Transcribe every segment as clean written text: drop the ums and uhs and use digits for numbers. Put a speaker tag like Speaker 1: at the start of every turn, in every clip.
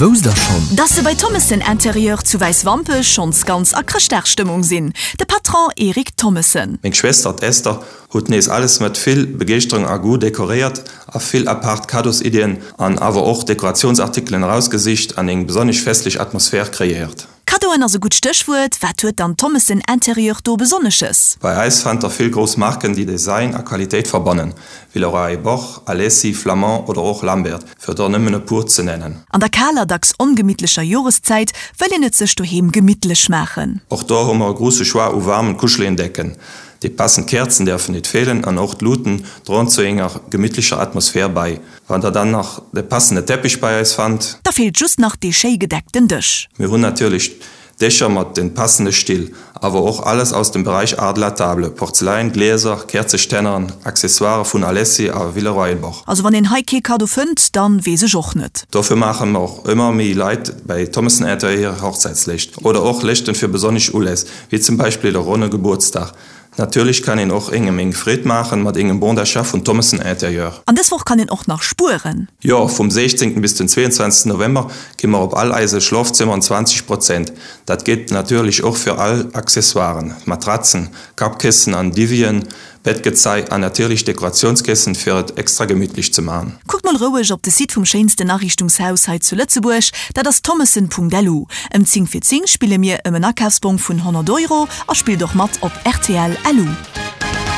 Speaker 1: Wousst der schonn?
Speaker 2: Dass se bei Thommessen Intérieur zu Wäiswampech schonns ganz a Chrëschtdagsstëmmung sinn, de Patron Eric Thommessen.
Speaker 3: Meng Schwester, d'Esther, hutt nees alles mat vill Begeeschterung a Goût dekoréiert a vill apaart Kaddosiddien an awer och Dekorationsartikelen erausgesicht an eng besonnesch festlech Atmosphär kreéiert.
Speaker 2: Kaddoen ass e gutt Stéchwuert, wat huet dann Thommessen Intérieur do Besonnesches?
Speaker 3: Bei eis fannt der vill grouss Marken déi Design a Qualitéit verbannen, Villeroy et Boch, Alessi, Flamand oder och Lambert, fir der nëmmen e puer ze nennen.
Speaker 2: An der kaler, dacks ongemittlecher Joreszäit wëll een et sech doheem gemittlech maachen.
Speaker 3: Och do hu mer e gruusse Choix u waarmen, kuscheligen Decken. Déi passend Käerzen däerfen nit feelen an och d'Luuten droen zu enger gemittlecher Atmosphär bei. Wann der dann nach de passende Teppich bei eis fannt.
Speaker 2: Da feelt just nach dee schéi gedeckten Dësch.
Speaker 3: Mir hunn natierlech Dëscher mat den passende Still, awer och alles aus dem Bereich Art de la table, Porzeläin, Glieser, Käerzestänneren, Accessoiren vun Alessi a Villeroy-et-Boch.
Speaker 2: Also wann een hei kee Kaddo fënnt, dann weess ech och net.
Speaker 3: Dofir maachen och ëmmer méi Leit bei Thommessen Interieur Hochzäitsléischt oder och Léschten fir besonnesch Uläss, wéi zum Beispill de ronne Gebuertsdag. Natierlech kann een och engem eng Freed maachen mat engem Bon d'achat vun Thommessen Interieur.
Speaker 2: An dës Woch kann een och nach spueren.
Speaker 3: Jo, vum 16 bis den 22 November gi mer op all eise Schlofzëmmeren 20 Prozent. Dat geet natierlech och fir all Accessoiren, Matratzen, Kappkëssen an Divien, Bettgezei an natierlech Dekoratiounskessen fir et extra gemittlech ze man.
Speaker 2: Kuckt mol roueg op de Site vum schéinsten Ariichtungshaus hei zu Lëtzebuerg, dat ass thommessen.lu. Ëm 10 vir 10 spille mir ëm en Akafsbong vun 100 Euro a spillt och mat op rtl. Lu.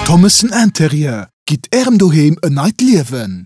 Speaker 1: Thommessen Interieur, gitt Ärem Doheem en neit Liewen!